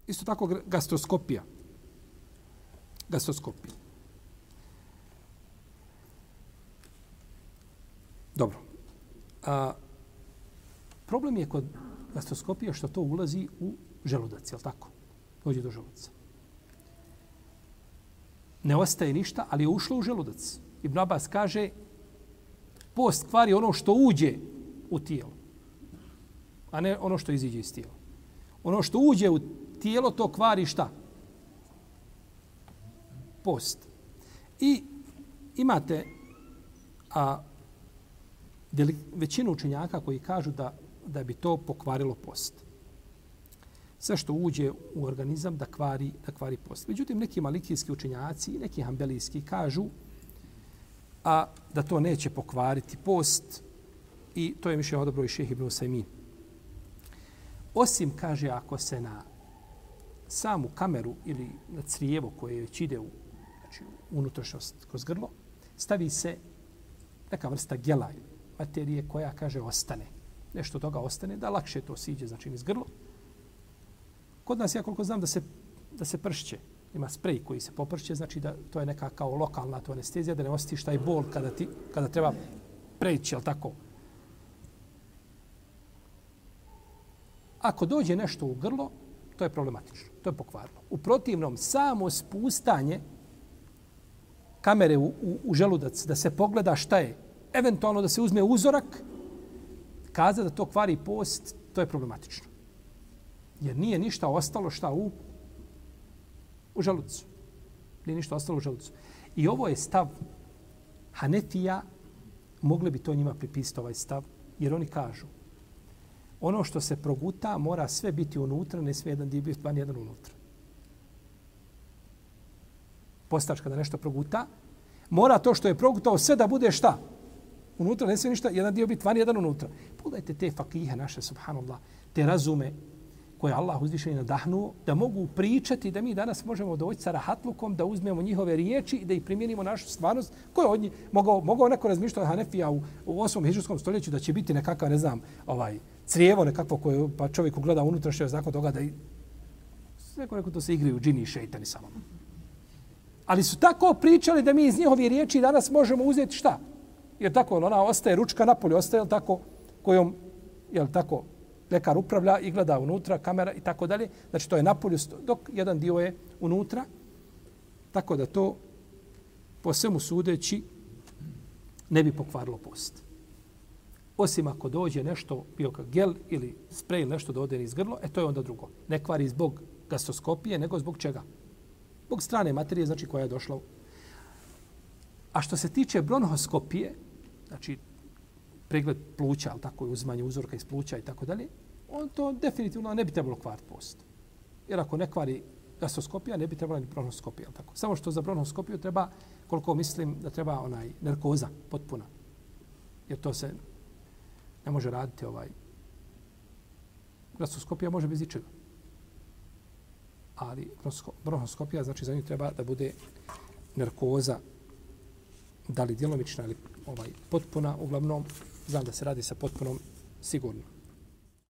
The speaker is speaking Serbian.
Isto tako gastroskopija. Gastroskopija. Dobro. Problem je kod gastroskopije što to ulazi u želudac, je li tako? Dođe do želudaca. Ne ostaje ništa, ali je ušlo u želudac. Ibn Abbas kaže, post kvari ono što uđe u tijelo, a ne ono što iziđe iz tijela. Ono što uđe u tijelo, to kvari šta? Post. I imate većinu učenjaka koji kažu da bi to pokvarilo post. Sve što uđe u organizam da kvari post. Međutim, neki malikijski učenjaci i neki hambelijski kažu da to neće pokvariti post i to je mišljenje odobro i šejh Ibn Usajmin. Osim, kaže, ako se na samu kameru ili na crijevo koje već ide u unutrašnjost kroz grlo, stavi se neka vrsta gela materije koja, kaže, ostane. Nešto toga ostane, da lakše to siđe, znači iz grlo. Kod nas, ja koliko znam, da se pršće. Ima sprej koji se popršće, znači da to je neka kao lokalna to anestezija, da ne osjetiš taj bol kada treba preći, jel tako? Ako dođe nešto u grlo, to je problematično. To je pokvarno. U protivnom, samo spustanje kamere u želudac, da se pogleda šta je, eventualno da se uzme uzorak, kaza da to kvari post, to je problematično. Jer nije ništa ostalo šta u želucu. Nije ništa ostalo u želucu. I ovo je stav Hanefija, mogli bi to njima pripisati ovaj stav, jer oni kažu ono što se proguta mora sve biti unutra, ne smije jedan dio biti van jedan unutra. Postač kada nešto proguta, mora to što je progutao sve da bude šta? Unutra ne smije ništa, jedan dio biti van jedan unutra. Pogledajte te fakihe naše, subhanallah, te razume koje Allah uzvišeni nadahnuo, da mogu pričati da mi danas možemo doći sa rahatlukom, da uzmemo njihove riječi i da ih primijenimo našu stvarnost. Ko je od njih mogao neko razmišljati od Hanefija u 8. hidžrskom stoljeću da će biti nekakav, ne znam, crijevo nekakvo koje pa čovjek gleda unutrašnje nakon toga da neko to se igraju džini i šejtani samo. Ali su tako pričali da mi iz njihove riječi danas možemo uzeti šta? Jer tako ona ostaje ručka napolje, ostaje tako kojom jel tako lekar upravlja i gleda unutra, kamera i tako dalje. Znači to je napolju, dok jedan dio je unutra. Tako da to po svemu sudeći ne bi pokvarilo post. Osim ako dođe nešto, bio kao gel ili sprej ili nešto da ode iz grlo, to je onda drugo. Ne kvari zbog gastroskopije, nego zbog čega? Zbog strane materije, znači koja je došla. A što se tiče bronhoskopije, znači pregled pluća, ali tako je uzimanje uzorka iz pluća i tako dalje, on to definitivno ne bi trebalo kvariti post. Jer ako ne kvari gastroskopija, ne bi trebala ni bronhoskopija. Tako. Samo što za bronhoskopiju treba, koliko mislim, da treba narkoza potpuna. Jer to se ne može raditi gastroskopija može bez ičega. Ali bronhoskopija, znači za nju treba da bude narkoza, da li djelomična ili potpuna, uglavnom znam da se radi sa potpunom sigurno.